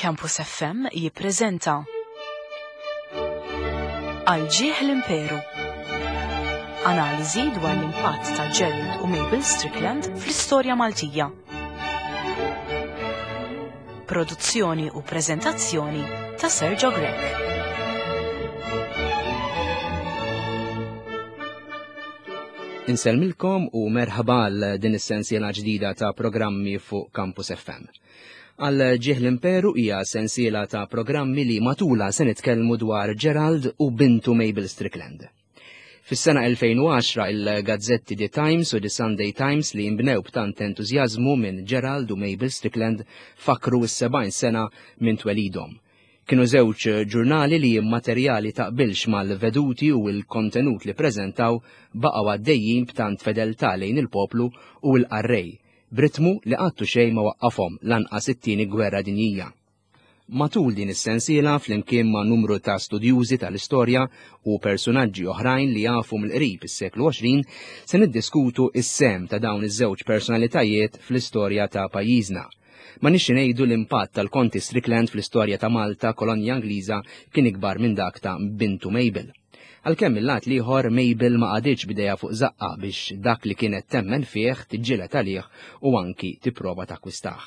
Campus FM jippreżenta Għal ġieħ l-Imperu. Analiżi dwar l-impatt ta' Gerald u Mabel Strickland fl-istorja Maltija. Produzzjoni u preżentazzjoni ta' Sergio Grech. Insellmilkom u merħba għal din is-sensiela ġdida ta' programmi fuq Campus FM. Għal ġieħ l-Imperu hija sensiela ta' programmi li matula se nitkellmu dwar Gerald u bintu Mabel Strickland. Fis-sena 2010 il-gazzetti The Times u The Sunday Times li jinbnew b'tant entużjażmu minn Gerald u Mabel Strickland fakru s-70 sena minn twelidhom. Kienu żewġ ġurnali li materjali taqbilx mal-veduti u l-kontenut li preżentaw baqgħu għaddejjin b'tant fedeltà lejn il-poplu u l-qarrej, b'ritmu li qatt u xejn ma waqqafhom lanqas it-Tieni Gwerra Dinjija. Matul din is-sensiela, flimkien ma' numru ta' studjużi tal-istorja u persunaġġi oħrajn li jafu mill-qrib is-seklu 20, se niddiskutu s-sehem ta' dawn iż-żewġ personalitajiet fl-istorja ta' pajjiżna. Ma nixxi ngħidu l-impatt tal-Konti Strickland fl-istorja ta' Malta, kolonja Ingliża, kien ikbar minn dak ta' bintu Mabel. Għalkemm mill-lat l-ieħor Mabel ma qagħditx b'idejha fuq żaqqha biex dak li kienet temmen fih tiġġieled għalih u anki tipprova takkwistah.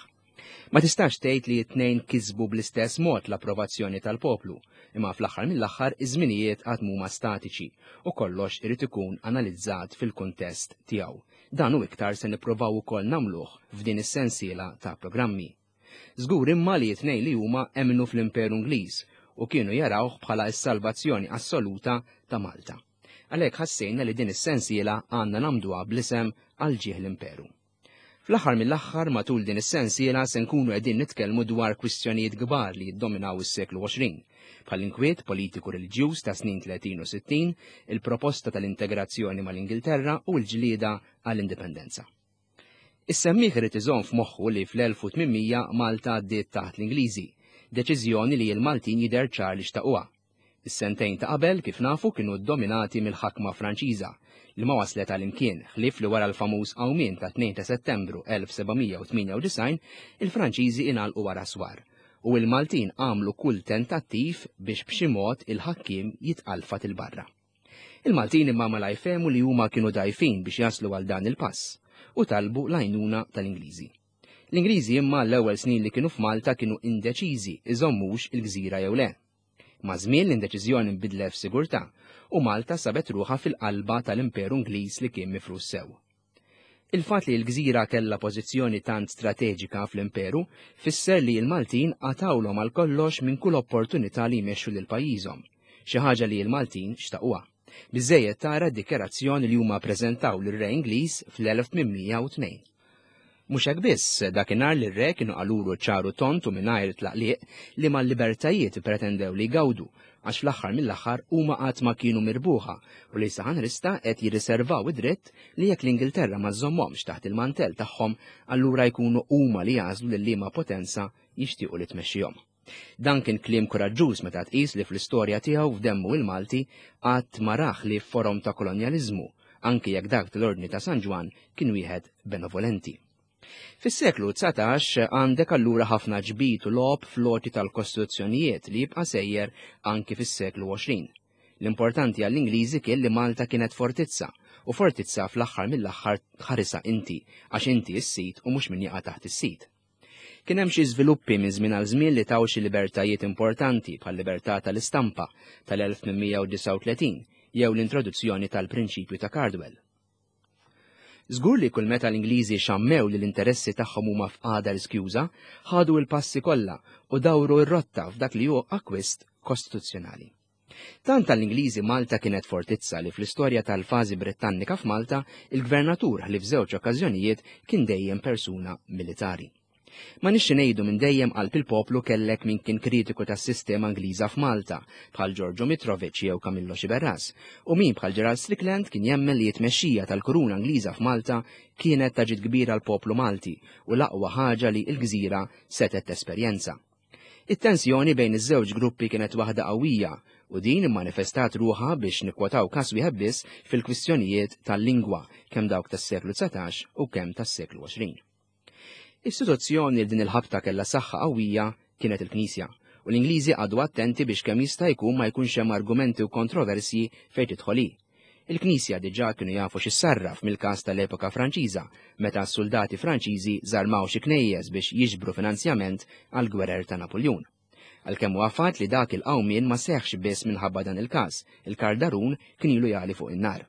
Ma tistax tgħid li t-tnejn kisbu bl-istess mod l-approvazzjoni tal-poplu, imma fl-aħħar mill-aħħar iż-żminijiet għad mhuma statiċi u kollox irid ikun analizzat fil-kuntest tiegħu. Dan u iktar se nipprovaw ukoll nagħmluh f'din is-sensiela ta' programmi. Żgur imma li t-tnejn li huma emmnu fl-Imperu Ingliż u kienu jarawh bħala s-salvazzjoni assoluta ta' Malta. Għalhekk ħassejna li din is-sensiela għandna nagħmduha bl-isem Għal Ġieħ l-Imperu. Fl-aħħar mill-aħħar matul din is-sensiela se nkunu qegħdin nitkellmu dwar kwistjonijiet kbar li jiddominaw is-seklu 20, bħall-inkwiet politiku reliġjuż ta' snin 30 u 60, il-proposta tal-integrazzjoni mal-Ingilterra u l-ġlieda għall-indipendenza. Is-semmiegħ irid iżomm f'moħħu li fl-1800 Malta għaddiet taħt l-Ingliżi, deċiżjoni li l-Maltin jidher ċar li xtaquha. Is-sentejn ta' qabel, kif nafu, kienu ddominati mill-ħakma Franċiża, li ma waslet għal imkien, ħlief li wara l-famuż qawmien ta' 2 ta' Settembru 1798, il-Franċiżi ingħalqu wara swar, u l-Maltin għamlu kull tentattiv biex b'xi mod il-ħakkiem jitqalfat 'il barra. Il-Maltin imma malajr fehmu li huma kienu dgħajfin biex jaslu għal dan il-pass u talbu l-għajnuna tal-Ingliżi. L-Ingliżi imma l-ewwel snin li kienu f'Malta kienu indeċiżi iżommux il-gżira jew le. Maż-żmien l-indeċiżjoni nbidlet f'sigurtà u Malta sabet ruħha fil-qalba tal-Imperu Ingliż li kien mifrus sew. Il-fatt li l-gżira kellha pożizzjoni tant strateġika fl-Imperu fisser li l-Maltin qatgħulhom għal kollox minn kull opportunità li jmexxu lil pajjiżhom, xi ħaġa li l-Maltin xtaquha. Biżżejjed tara d-dikjarazzjoni li huma ppreżentaw lir-Re Ingliż fl-1802. Mhux hekk biss, dakinhar lir-Re kienu qalulu ċar u tond u mingħajr tlaqliq liema libertajiet ippretendew li jgawdu, għax fl-aħħar mill-aħħar huma qatt ma kienu mirbuħa u li saħanrista qed jirriservaw id-dritt li jekk l-Ingilterra ma żżommhomx taħt il-mantell tagħhom allura jkunu huma li jagħżlu lil liema potenza jixtiequ li tmexxihom. Dan kien kliem kuraġġuż meta tqis li fl-istorja tiegħu f'demmu il-Malti qatt ma rah li forom ta' kolonjaliżmu, anki jekk dak tal-Ordni ta' San Ġwann kien wieħed benevolenti. Fis-seklu 19 għandek allura ħafna ġbid u logħob fl-għoti tal-kostituzzjonijiet li jibqa' sejjer anki fis-seklu 20. L-importanti għall-Ingliżi kien li Malta kienet fortizza, u fortizza fl-aħħar mill-aħħar tħarisha inti, għax inti s-sid u mhux min jaqa' taħt is-sid. Kien hemm xi żviluppi minn żmien għal żmien li taw xi libertajiet importanti bħal-libertà tal-istampa tal-1839 jew l-introduzzjoni tal-prinċipju ta' Cardwell. Żgur li kull meta l-Ingliżi xammew li l-interessi tagħhom huma f'qagħda riskjuża, ħadu l-passi kollha u dawru r-rotta f'dak li hu akkwist kostituzzjonali. Tant għall-Ingliżi Malta kienet fortizza li fl-istorja tal-fażi Brittannika f'Malta, il-gvernatur ħlief żewġ okkażjonijiet kien dejjem persuna militari. Ma nixxi ngħidu minn dejjem qalb il-poplu kellek min kien kritiku tas-sistema Ingliża f'Malta, bħal Giorgio Mitrovic jew Camillo Sciberras, u min bħal Gerald Strickland kien jemmen li t-tmexxija tal-kuruna Ingliża f'Malta kienet ta' ġid kbir għall-poplu Malti u l-aqwa ħaġa li l-gżira setgħet tesperjenza. It-tensjoni bejn iż-żewġ gruppi kienet waħda qawwija u din immanifestat ruħha biex nikkwotaw każ wieħed biss fil-kwistjonijiet tal-lingwa kemm dawk tas-seklu 19 u kemm tas-seklu 20. Istituzzjoni li din il-ħabta kellha saħħa qawwija kienet il-Knisja, u l-Ingliżi qagħdu attenti biex kemm jista' jkun ma jkunx hemm argumenti u kontroversji fejn tidħol hi. Il-Knisja diġà kienu jafu x'issarraf mill-każ tal-epoka Franċiża, meta s-suldati Franċiżi żarmaw xi knejjes biex jiġbru finanzjament għall-gwerer ta' Napuljun. Għalkemm huwa fatt li dak il-qawmien ma seħħx biss minħabba dan il-każ, il-kardarun kien ilu jagħli fuq in-nar.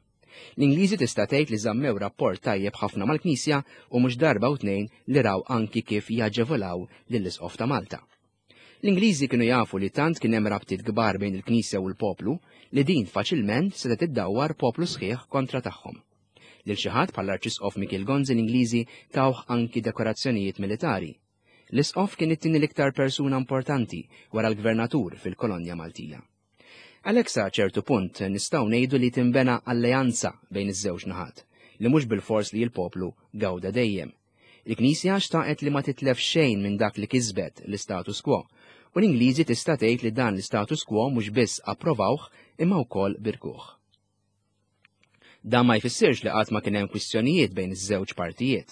L-Ingliżi tista' tgħid li żammew rapport tajjeb ħafna mal-Knisja u mhux darba u tnejn li raw anki kif jaġevolaw lill-Isqof ta' Malta. L-Ingliżi kienu jafu li tant kien hemm rabtiet kbar bejn il-Knisja u l-poplu li din faċilment setgħet iddawwar poplu sħiħ kontra tagħhom. Lil xi ħadd bħall-Arċisqof Mikiel Gonzi l-Ingliżi tawh anki dekorazzjonijiet militari. L-Isqof kien it-tieni l-iktar persuna importanti wara l-Gvernatur fil-kolonja Maltija. Għalhekk sa ċertu punt nistgħu ngħidu li tinbena alleanza bejn iż-żewġ naħat, li mhux bilfors li l-poplu gawda dejjem. Il-Knisja xtaqet li ma titlef xejn minn dak li kisbet l-istatus quo, u l-Ingliżi tista' tgħid li dan l-istatus quo mhux biss approvawh imma wkoll birkuh. Dan ma jfissirx li qatt ma kien hemm kwistjonijiet bejn iż-żewġ partijiet.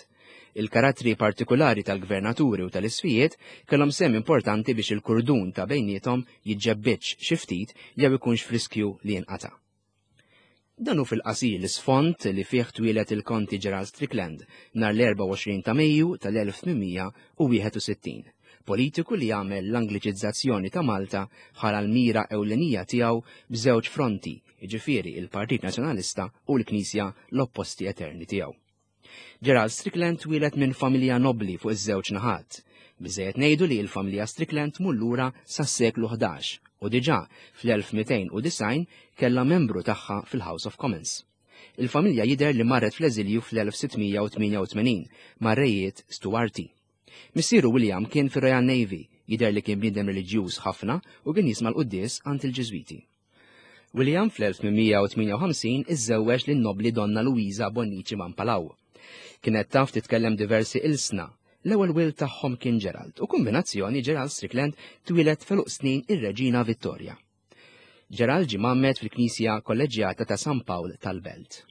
Il-karattri partikulari tal-gvernaturi u tal-isfijiet kellhom sehem importanti biex il-kurdun ta' bejniethom jiġġebbidx xi ftit jew ikunx f'riskju li jinqata'. Dan hu fil-qasir l-isfond li fih twieled il-Konti Gerald Strickland nhar l-24 ta' Mejju tal-1861, politiku li għamel l-Angliċizzazzjoni ta' Malta bħala l-mira ewlenija tiegħu b'żewġ fronti, jiġifieri il-Partit Nazzjonalista u l-Knisja l-opposti eterni tiegħu. Gerald Strickland twieled minn familja nobbli fuq iż-żewġ naħat. Biżejjed ngħidu li l-familja Strickland tmur lura sas-seklu 11 u diġà fl-1290 kellha membru tagħha fil-House of Commons. Il-familja jidher li marret fl-eżilju fl-1688 mar-rejiet Stuarti. Missieru William kien fir-Royal Navy, jidher li kien bniedem reliġjuż ħafna u kien jisma' l-quddies għand il-Ġiżwiti. William fl-1858 iżżewweġ lin-nobbli Donna Luisa Bonnici Mampalaw. Kienet taf titkellem diversi ilsna. L-ewwel wild tagħhom kien Gerald u kombinazzjoni Gerald Strickland twieled f'għeluq snin ir-Reġina Vittoria. Gerald ġie mgħammed fil-Knisja Kolleġġjata ta' San Pawl tal-Belt.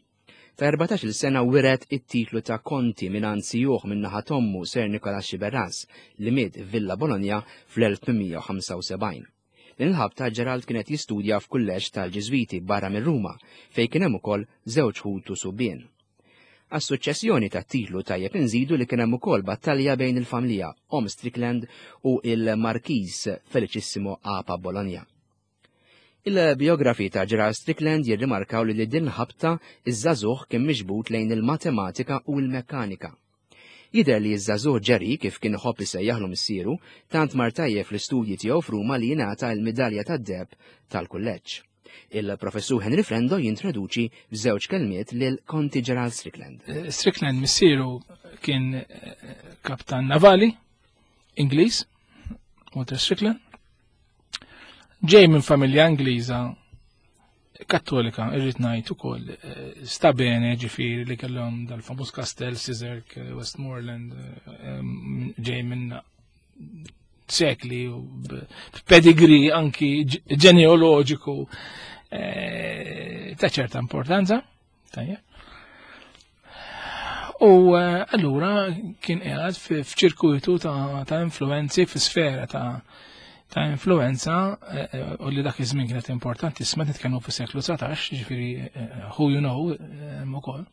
Ta' 14-il sena wiret it-titlu ta' Konti mingħand sijuh min-naħa t'ommu Sir Nicholas Sciberras li miet f'Villa Bologna fl-1875. Din il-ħabta Gerald kien qed jistudja f'kulleġġ tal-Ġiżwiti barra minn Ruma, fejn kien hemm ukoll żewġ ħutu subien. Għas-suċċessjoni tat-titlu tajjeb inżidu li kien hemm ukoll battalja bejn il-familja Omm Strickland u il-Markiż Felicissimo Apa Bologna. Il-biografi ta' Gerald Strickland jirrimarkaw li din ħabta iż-żagħżugħ kien miġbud lejn il-matematika u l-mekkanika. Jidher li ż-żagħżugħ Jerry, kif kien iħobb isejjaħlu missieru, tant mar tajjeb fl-istudji tiegħu f'Ruma li jingħata l-midalja tad-deheb tal-kulleġġ. Il-Professur Henry Frendo jintroduċi f'żewġ kelmiet lil Konti Gerald Strickland. Eh, Strickland missieru kien eh, kaptan navali Ingliż, Walter Strickland. Ġej minn familja Ingliża Kattolika, irrid ngħid ukoll eh, sta bene ġifieri li kellhom dal-famuż kastell Sizerk, eh, Westmoreland, eh, ġej minn sekli u pedigree anki ġenealoġiku ta' ċerta importanza. Tajjeb. U allura kien qiegħed f'ċirkuitu ta' influenzi f'sfera ta' ta' influenza eh, eh, u li dak iż-żmien kienet importanti, isma nitkellmu fis-seklu 19, ġifieri eh, who you know ukoll.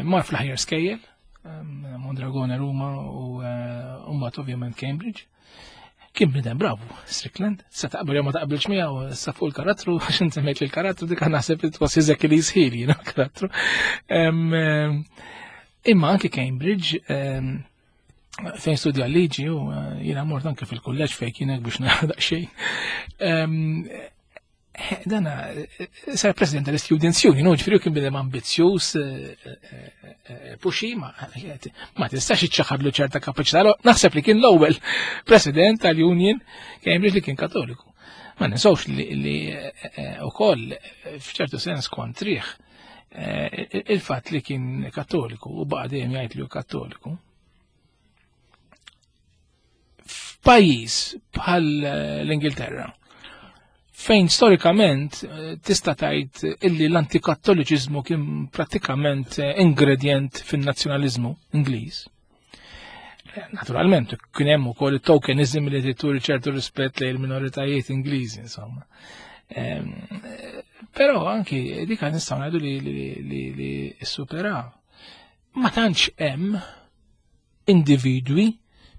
Mar fl-aħjar skejjel, Mondragone Ruma u mbagħad ovvjament Cambridge. Kien bniedem bravu, Strickland, se taqbel jew ma taqbilx miegħu, sa fuq il-karattru, għax inti semmejt il-karattru dik naħseb it was li jisħil jiena karattru. Imma anki Cambridge fejn studja liġi u eh, jiena mort anke fil-kulleġġ fejn kienek biex nara daqsxejn. Eh, dana eh, sar president tal-Students Union, u ġifieri kien bidem ambizzjuż, puxi, ma tistax iċċaħadlu ċerta kapaċità. Naħseb li kien l-ewwel president tal-Union Cambridge li kien Katoliku. Ma ninsawx li ukoll f'ċertu sens kontriħ il-fatt li kien Kattoliku u baqa' dejjem jgħid li hu Kattoliku. F'pajjiż bħal eh, l-Ingilterra, fejn storikament eh, tista' tgħid illi l-antikattoliċiżmu kien prattikament eh, ingredient fin-nazzjonaliżmu Ingliż. Naturalment, kien hemm ukoll it-tokenism li turi ċertu rispett lejn il-minoritajiet Ingliżi, insomma. Però anki dik nistgħu ngħidu li li li superaw. Ma tantx hemm individwi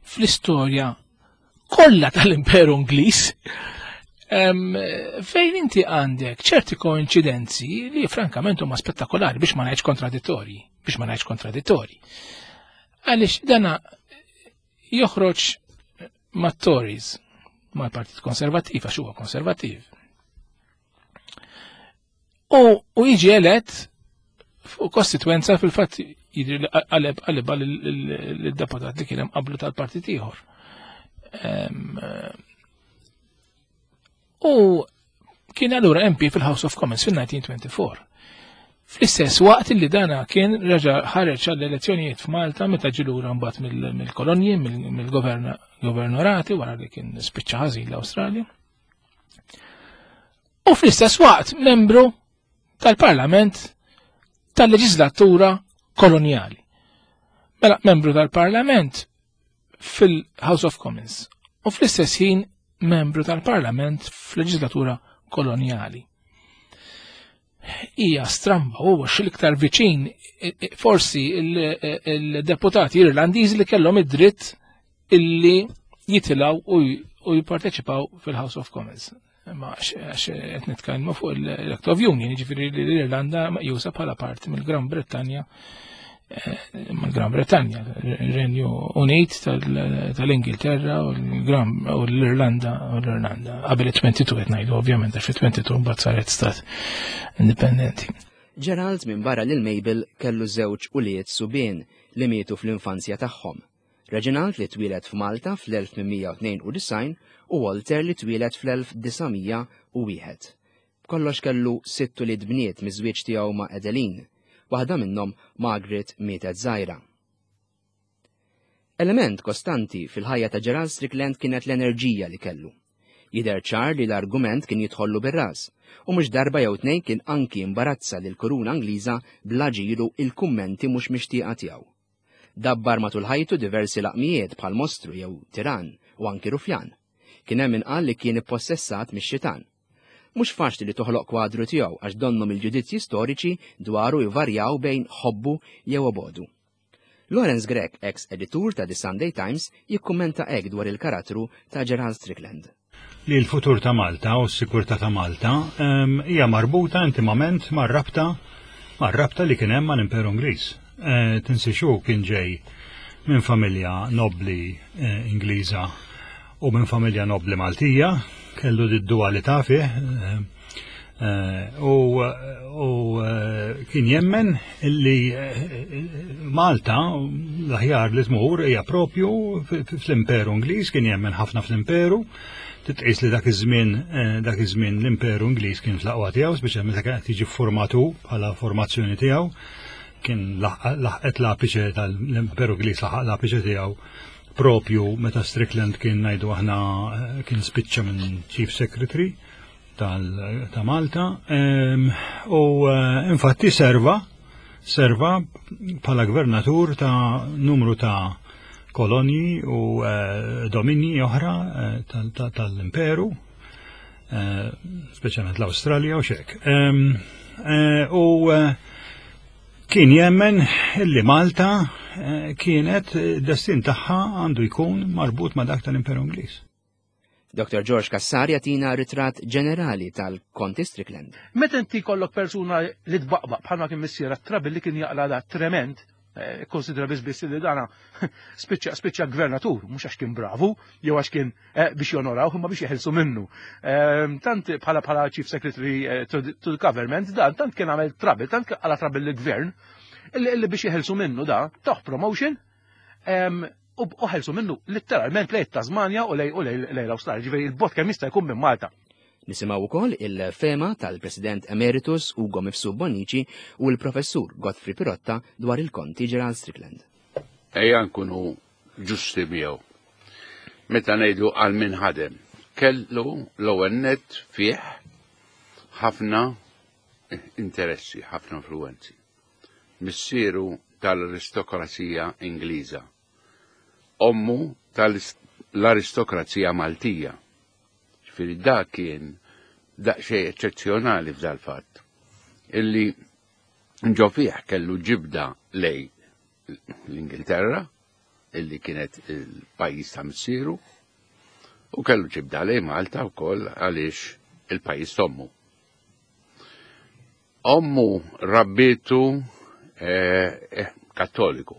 fl-istorja kollha tal-Imperu Ingliż fejn inti għandek ċerti koincidenzi li frankament huma spettakolari biex ma ngħidx kontradittorji, biex ma ngħidx kontradittorji. Għaliex dana joħroġ mat-Tories, mal-Partit Konservattiv, għax huwa konservattiv. U, u jiġi elett fuq kostituenza fil-fatt jidri li qaleb qalibha lid-deputat li kien hemm qablu tal-partit ieħor. U kien allura MP fil-House of Commons fil-1924. Fl-istess waqt li dana kien reġa' ħareġ għall-elezzjonijiet f'Malta meta ġie lura mbagħad mill-kolonji, mill-governorati wara li kien spiċċa ħażin l-Awstralja. U fl-istess waqt membru tal-Parlament tal-leġislatura kolonjali. Mela membru tal-Parlament fil-House of Commons u fl-istess ħin membru tal-Parlament fl-leġislatura kolonjali. Hija stramba u l-iktar viċin forsi il-deputati Irlandiżi li kellhom id-dritt illi jitilgħu u jipparteċipaw fil-House of Commons. Ma għax qed nitkellmu fuq l-Act of Union, jiġifieri li l-Irlanda meqjusa bħala parti mill-Gran Brittanja eh, mill-Gran Brittanja, il-Renju Unit tal-Ingilterra u l-Gran u l-Irlanda u l-Irlanda. Qabel it-22 qed ngħidu ovvjament għax fit-22 mbagħad saret stat indipendenti. Gerald minn barra lil Mabel kellu żewġ ulied subien li mietu fl-infanzja tagħhom. Reginald li twieled f'Malta fl-1892 u Walter li twieled fl-1901. B'kollox kellu sitt ulied bniet miż-żwieġ tiegħu ma' Adeline. Waħda minnhom, Margaret, mietet żgħira. Element kostanti fil-ħajja ta' Gerald Strickland kienet l-enerġija li kellu. Jidher ċar li l-argument kien jidħollu bir-ras, u mhux darba jew tnejn kien anki imbarazza lill-Kuruna Ingliża bl-aġir u il-kummenti mhux mixtieqa tiegħu. Dabbar matul ħajtu diversi laqmijiet bħal mostru jew tirann u anki rufjan. Kien hemm min qal li kien ippossessat mix-xitan. Mhux faċli li toħloq kwadru tiegħu għax donnhom il-ġudizzji storiċi dwaru jvarjaw bejn ħobbu jew obodu. Lawrence Grech, eks editur ta' The Sunday Times, jikkummenta hekk dwar il-karattru ta' Gerald Strickland. Li l-futur ta' Malta u s-sikurtà ta' Malta ehm, hija marbuta intimament mar-rabta mar-rabta li kien hemm mal-Imperu Ingliż. Eh, Tinsiex hu kien ġej minn familja nobbli eh, Ingliża u minn familja nobbli Maltija, kellu d-dualità fih, eh, Eh, u eh, kien jemmen li eh, Malta l-aħjar li tmur hija propju fl-Imperu Ingliż, kien jemmen ħafna fl-Imperu, titqis li dak iż-żmien dak iż-żmien l-Imperu Ingliż kien fl-aqwa tiegħu, speċjalment meta kien qed jiġi formatu bħala formazzjoni tiegħu, kien laħqet l-apiċe tal-Imperu Ingliż laħaq l-apiċe tiegħu propju meta Strickland kien ngħidu aħna kien spiċċa minn Chief Secretary ta' Malta u eh, infatti serva serva bħala gvernatur ta' numru ta' kolonji u eh, dominji oħra eh, tal-imperu, speċjalment l-Awstralja u xek. U kien jemmen li Malta kienet destin tagħha għandu jkun marbut ma' dak tal-Imperu Ingliż. Dr. George Cassar jagħtina ritratt ġenerali tal-Konti Strickland. Meta inti jkollok persuna li tbaqbaq bħalma kien missiera trabi li kien jaqla da trement, eh, konsidra biss biss li dana spiċċa spiċċa gvernatur, mhux għax kien bravu, jew għax kien eh, biex jonoraw, imma biex jeħilsu minnu. Ehm, tant bħala bħala Chief Secretary eh, to the Government, dan tant kien għamel trabi, tant għala trabi l-gvern, illi biex jeħilsu minnu da, taħ promotion, ehm, u ħelsu minnu litteralment lejn Tasmania u lej u lej l-Awstralja, ġifieri il-bot kemm jista' jkun minn Malta. Nisimgħu wkoll il-fema tal-President Emeritus Ugo Mifsud Bonnici u l-Professur Godfrey Pirotta dwar il-Konti Gerald Strickland. Ejja nkunu ġusti miegħu. Meta ngħidu għal min ħadem, kellu l-ewwel nett fih ħafna interessi, ħafna influenzi. Missieru tal-aristokrazija Ingliża. Ommu tal-aristokrazija Maltija. Ġifieri da kien daqsxejn eċċezzjonali f'dal-fatt. Illi ġo fih kellu ġibda lej l-Ingilterra, illi kienet il-pajjiż ta' missieru, u kellu ġibda lej Malta wkoll għaliex il-pajjiż t'ommu. Ommu rabbitu eh, eh, kattoliku.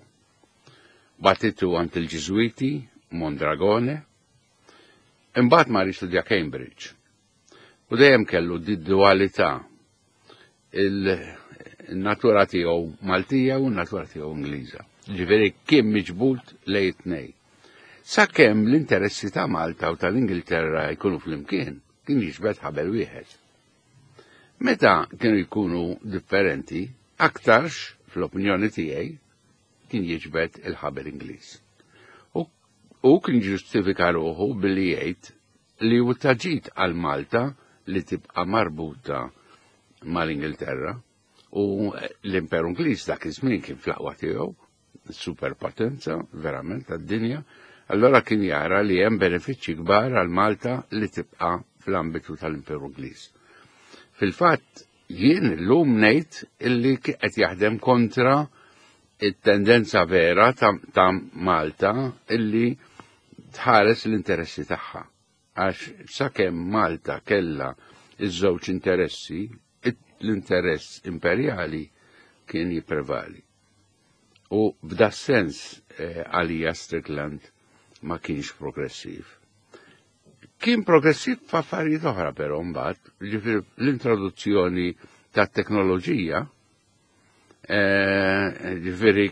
Batitu għand il-Ġiżwiti, Mondragone, imbagħad mar jistudja Cambridge. U dejjem kellu di dualità il-natura tiegħu Maltija u n-natura tiegħu Ingliża. Ġifieri kien miġbud lejn it-tnej. Sakemm l-interessi ta' Malta u tal-Ingilterra jkunu flimkien, kien jiġbed ħabel wieħed. Meta kienu jkunu differenti, aktarx, fl-opinjoni tiegħi, kien jiġbed il-ħabel Ingliż. U kien ġustifika ruħu billi jgħid li hu ta' ġid għal Malta li tibqa' marbuta mal-Ingilterra u l-Imperu Ingliż dak iż-żmien kien fl-aqwa tiegħu, superpotenza verament tad-dinja, allora kien jara li hemm benefiċċji kbar għal Malta li tibqa' fl-ambitu tal-Imperu Ingliż. Fil-fatt, jien illum ngħid illi qed jaħdem kontra it-tendenza vera ta', ta Malta illi tħares l-interessi tagħha. Għax sakemm Malta kellha iż-żewġ interessi, l-interess imperjali kien jipprevali. U f'da sens eh, għalija Strickland ma kienx progressiv. Kien progressiv f'affarijiet oħra però mbagħad, ġifieri l-introduzzjoni tat-teknoloġija eh, ġifieri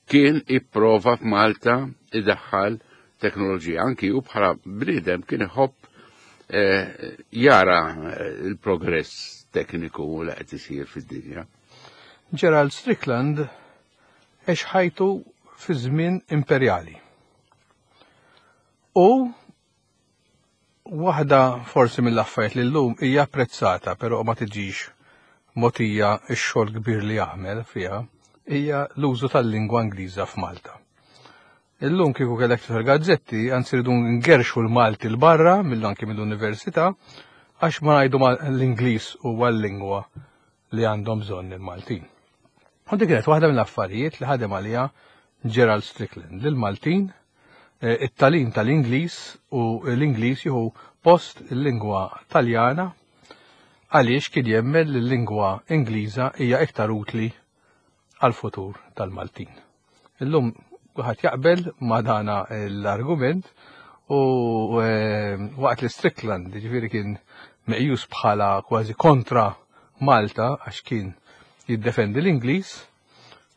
kien ipprova f'Malta idaħħal teknoloġija anki u bħala bniedem kien iħobb eh, jara eh, il-progress tekniku li qed isir fid-dinja. Gerald Strickland għex ħajtu fi żmien imperjali. U Waħda forsi mill-affarijiet li llum hija apprezzata però ma tiġix mogħtija x-xogħol kbir li jagħmel fiha hija l-użu tal-lingwa Ingliża f'Malta. Illum kieku kellek tifel gazzetti, anzi rridu ngerxu l-Malti l barra mill anki mill-università għax ma ngħidu l-Ingliż huwa l-lingwa li għandhom bżonn il-Maltin. U dik kienet waħda mill-affarijiet li ħadem għaliha Gerald Strickland li l-Maltin eh, it-talim tal-Ingliż u l-Ingliż jieħu post il-lingwa Taljana għaliex kien jemmen li l-lingwa Ingliża hija iktar utli għal-futur tal-Maltin. Illum kulħadd jaqbel ma' dana l-argument u eh, waqt li Strickland ġifieri kien meqjus bħala kważi kontra Malta għax kien jiddefendi l-Ingliż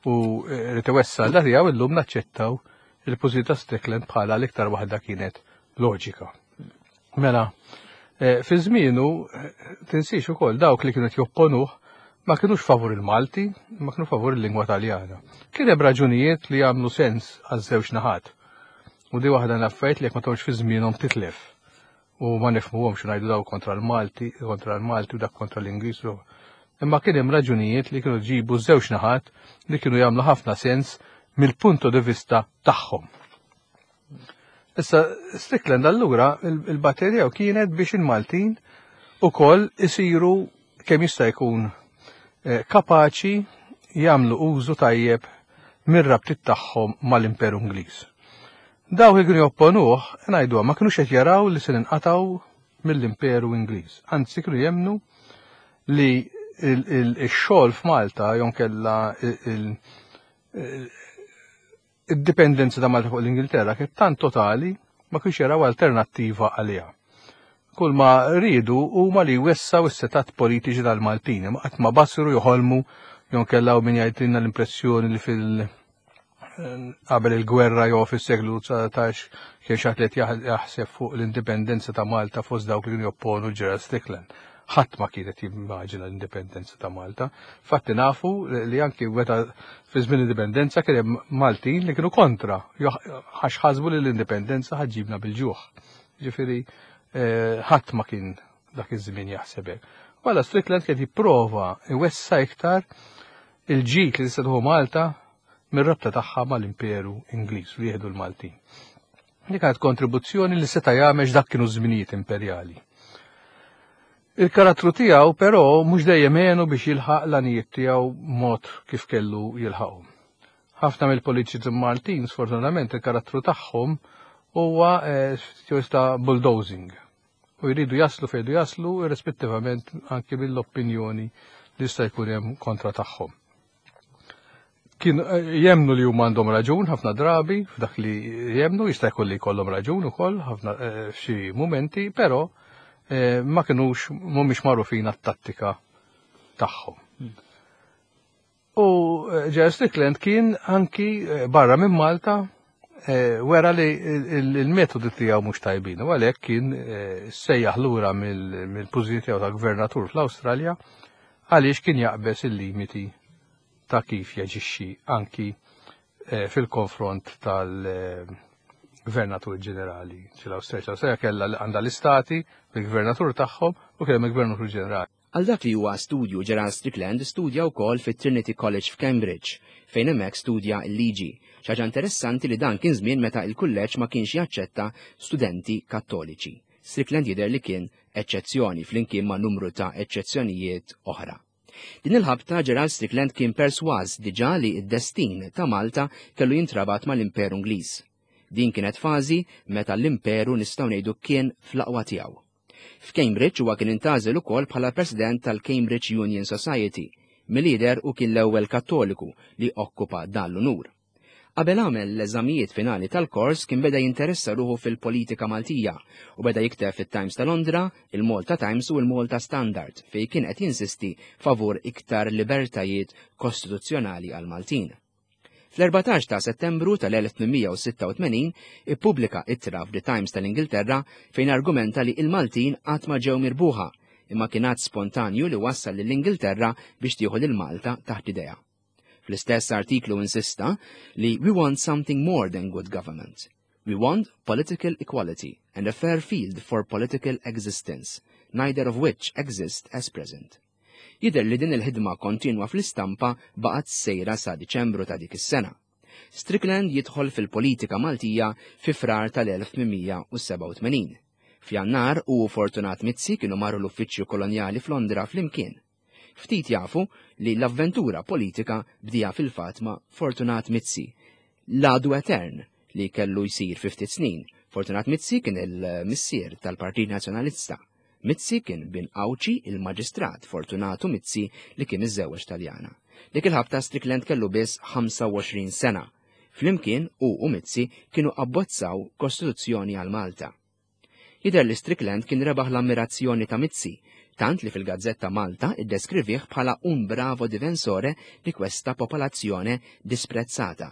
u eh, rrid iwessal da tiegħu illum naċċettaw il-pożizzjoni ta' Strickland bħala l-iktar waħda kienet loġika. Mela, eh, fi żmienu eh, tinsiex ukoll dawk li kienu jopponuh ma kienux favur il-Malti, ma kienu favur il-lingwa Taljana. Kien hemm raġunijiet li jagħmlu sens għaż-żewġ naħat. U di waħda l-affarijiet li jekk ma tgħodx fi żmienhom titlef. U ma nifhmuhomx ngħidu daw kontra l-Malti, kontra l-Malti u dak kontra l-Ingliż. Imma kien hemm raġunijiet li kienu ġibu żewġ naħat li kienu jagħmlu ħafna sens mill-punto di vista tagħhom. Issa, Strickland allura il-batterija kienet biex il-Maltin ukoll isiru kemm jista' jkun eh, kapaċi jagħmlu użu tajjeb mir-rabtiet tagħhom mal-Imperu Ingliż. Dawk li kienu jopponuh, ngħidu ma kinux qed jaraw li se ninqatgħu mill-Imperu Ingliż. Anzi kienu jemnu li il-xogħol f'Malta jonkella Id-dipendenza ta' Malta fuq l-Ingilterra kienet tant totali ma kienx jaraw alternattiva għaliha. Kull ma riedu huma li jwessaw is-setat politiċi tal-Maltin, imma qatt ma basru joħolmu jew kellaw min jgħidilna l-impressjoni li fil- qabel il-gwerra jew fis-seklu 19 kien xi qed jaħseb fuq l-indipendenza ta' Malta fost dawk li kienu jopponu Gerald Strickland. Ħadd ma kienet jimmaġina l-indipendenza ta' Malta. Fatti nafu li anki meta fi żmien l-indipendenza kien hemm Maltin li kienu kontra, għax ħasbu li l-indipendenza ħaġibna bil-ġuħ. Ġifieri eh, ħadd ma kien dak iż-żmien jaħseb hekk. Wala Strickland kien jipprova iwessa iktar il-ġid li tista' Malta mir-rabta tagħha mal-Imperu Ingliż li jieħdu l-Maltin. Li kienet kontribuzzjoni li seta' jagħmel dak kienu żminijiet imperjali. Il-karattru tiegħu però mhux dejjem għenu biex jilħaq l-għanijiet tiegħu mod kif kellu jilħaqhom. Ħafna mill-politiċi Maltin, sfortunatament, il-karattru tagħhom huwa eh, ta' bulldozing. U jridu jaslu fejdu jaslu irrispettivament anki mill-opinjoni li jista' jkun hemm kontra tagħhom. Kien eh, jemnu li huma għandhom raġun ħafna drabi f'dak li jemnu jista' jkun li jkollhom raġun ukoll ħafna eh, f'xi mumenti, però eh, ma kinux mhumiex magħrufin għat-tattika tagħhom. U Gerald Strickland kien anki barra minn Malta wera li il-metodi tiegħu mhux tajbin u għalhekk kien sejjaħ lura mill-pożizzjoni tiegħu ta' gvernatur fl-Awstralja għaliex kien jaqbeż il-limiti ta' kif jaġixxi anki eh, fil-konfront tal-gvernatur ġenerali. Ċil-Awstrija Awstrija kellha għandha l-istati bil-gvernatur tagħhom u kellhom il-gvernatur ġenerali. Għal dak li huwa studju Gerald Strickland studja wkoll fit-Trinity College f'Cambridge, fejn hemmhekk studja l-liġi. Xi ħaġa interessanti li dan kien żmien meta il-kulleġġ ma kienx jaċċetta studenti kattoliċi. Strickland jidher li kien eċċezzjoni flimkien ma' numru ta' eċċezzjonijiet oħra. Din il-ħabta Gerald Strickland kien persważ diġà li d-destin ta' Malta kellu jintrabat mal-Imperu Ingliż. Din kienet fażi meta l-Imperu nistgħu ngħidu kien fl-aqwa tiegħu. F'Cambridge huwa kien intgħażel ukoll bħala President tal-Cambridge Union Society, milli jidher u kien l-ewwel Kattoliku li okkupa dan l-unur. Qabel għamel l-eżamijiet finali tal-kors kien beda jinteressa ruħu fil-politika Maltija u beda jikteb fit-Times ta' Londra, il-Malta Times u il-Malta Standard fejn kien qed jinsisti favur iktar libertajiet kostituzzjonali għal Maltin. Fl-14 ta' Settembru tal-1886 ippubblika ittra f'The Times tal-Ingilterra fejn argumenta li il-Maltin qatt ma ġew mirbuħa imma kien att spontanju li wassal lill-Ingilterra biex tieħu lil Malta taħt idejha. Fl-istess artiklu insista li we want something more than good government. We want political equality and a fair field for political existence, neither of which exist as present. Jidher li din il-ħidma kontinwa fl-istampa baqgħet sejra sa Diċembru ta' dik is-sena. Strickland jidħol fil-politika Maltija fi Frar tal-1887. F'Jannar u Fortunat Mizzi kienu marru l-uffiċċju kolonjali f'Londra flimkien. Ftit jafu li l-avventura politika bdieha fil-fatt ma' Fortunat Mizzi, l-għadu etern li kellu jsir fi ftit snin. Fortunat Mizzi kien il-missier tal-Partit Nazzjonalista. Mizzi kien bin Għawdxi il-Maġistrat Fortunatu Mizzi li kien iżżewweġ Taljana. Dik il-ħabta Strickland kellu biss 25 sena. Flimkien hu u Mizzi kienu abbozzaw Kostituzzjoni għal Malta. Jidher li Strickland kien rebaħ l-ammirazzjoni ta' Mizzi, tant li fil-Gazzetta Malta iddeskrivih bħala un bravo difensore di questa popolazione disprezzata.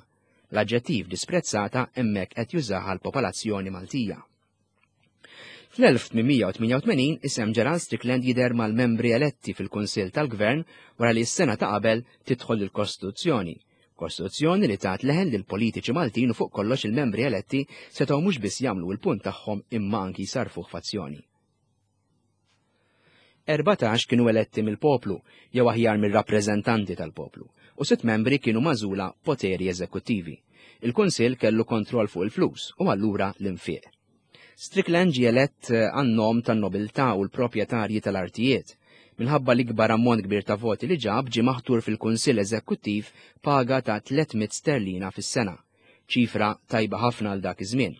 L-aġġettiv disprezzata hemmhekk qed jużaha l-popolazzjoni Maltija. Fl-1888 isem Gerald Strickland jidher mal-membri eletti fil-Kunsill tal-Gvern wara li s-sena ta' qabel tidħol il-Kostituzzjoni. Kostituzzjoni li tat leħen lil politiċi Maltin u fuq kollox il-membri eletti setgħu mhux biss jagħmlu l-punt tagħhom imma anki jsarfuh f'azzjoni. 14 kienu eletti mill-poplu, jew aħjar mir-rappreżentanti tal-poplu, u sitt membri kienu magħżula poteri eżekuttivi. Il-Kunsill kellu kontroll fuq il-flus u allura l-infiq. Strickland ġie elett għan-nom tan-nobiltà u l-proprjetarji tal-artijiet. Minħabba l-ikbar ammont kbir ta' voti li ġab ġie maħtur fil-Kunsill Eżekuttiv paga ta' 300 sterlina fis-sena. Ċifra tajba ħafna għal dak iż-żmien.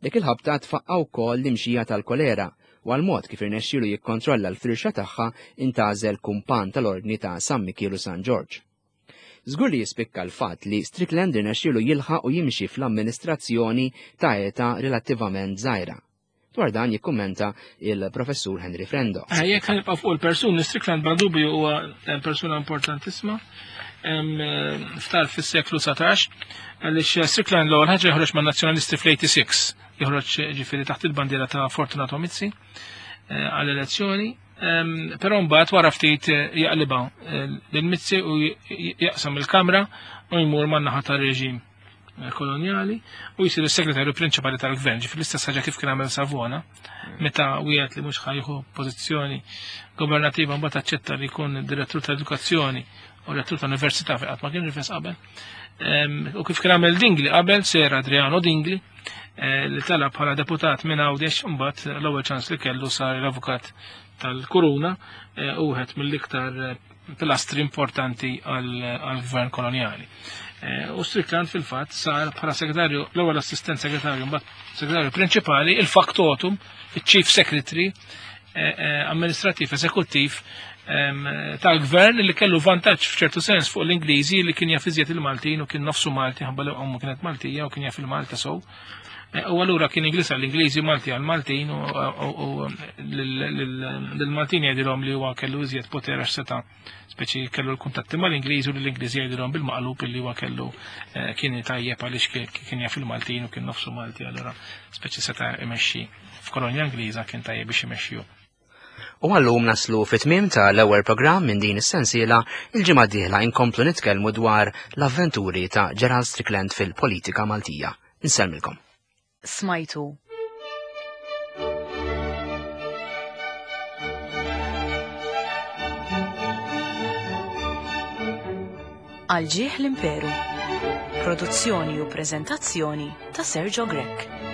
Dik il-ħabta tfaqqa wkoll l-imxija tal-kolera u għal mod kif irnexxielu jikkontrolla l-firxa tagħha intgħażel kumpan tal-Ordni ta' San Mikiel u San Ġorġ. Żgur li jispikka l-fatt li Strickland irnexxielu jilħaq u jimxi fl-amministrazzjoni ta' età relattivament żgħira. Dwar dan jikkummenta il-professur Henry Frendo. Eh, jekk ħanibqa' fuq il-persuni, Strickland bla dubju huwa eh, persuna importantissima eh, ftar fis-seklu 19 għaliex Strickland l-ewwel ħaġa joħroġ man-Nazzjonalisti fl-86 joħroġ ġifieri taħt il-bandiera ta' Fortunato Mizzi għall-elezzjoni Però mbagħad wara ftit eh, jaqlibha eh, lil Mizzi u jaqsam il-kamra u jmur man-naħa tar-reġim eh, kolonjali u jsir is-segretarju prinċipali tal-gvern, ġifieri l-istess ħaġa kif kien għamel Savona, meta wieħed li mhux ħajħu pożizzjoni governativa mbagħad aċċetta li jkun direttur tal-edukazzjoni u rettur tal-università fejn qatt ma kien rifes qabel. U kif kien għamel Dingli qabel, Sir Adriano Dingli, eh, li tela bħala deputat minn Għawdex imbagħad l-ewwel ċans li kellu sar l-avukat tal-Kuruna eh, u wieħed mill-iktar eh, pilastri importanti għall-gvern koloniali. U Strickland fil-fatt sar bħala segretarju, l-ewwel assistent segretarju, mbagħad segretarju prinċipali, il-factotum, il-chief secretary, amministrativ eżekuttiv tal-gvern li kellu vantaġġ f'ċertu sens fuq l-Ingliżi li kien jaf iżjed il-Maltin u kien nofsu Malti ħabba li ommu kienet Maltija u kien jaf il-Malta sow. E, u allura kien Ingliż għall-Ingliżi Malti għall-Maltin u l-Maltin jgħidilhom li huwa kellu iżjed poter għax seta' speċi kellu l-kuntatti mal-Ingliżi u l-Ingliżi jgħidilhom bil-maqlub li huwa kellu e, kien tajjeb għaliex kien jaf il-Maltin u kien nofsu Malti allura speċi seta' imexxi f'kolonja Ingliża kien tajjeb biex imexxi U għallum naslu fit-tmiem ta' l-ewwel programm minn din is-sensiela, il-ġimgħa d-dieħla inkomplu nitkellmu dwar l-avventuri ta' Gerald Strickland fil-politika Maltija. Insellmilkom. Smajtu. Għal ġieħ l-Imperu. Produzzjoni u preżentazzjoni ta' Sergio Grech.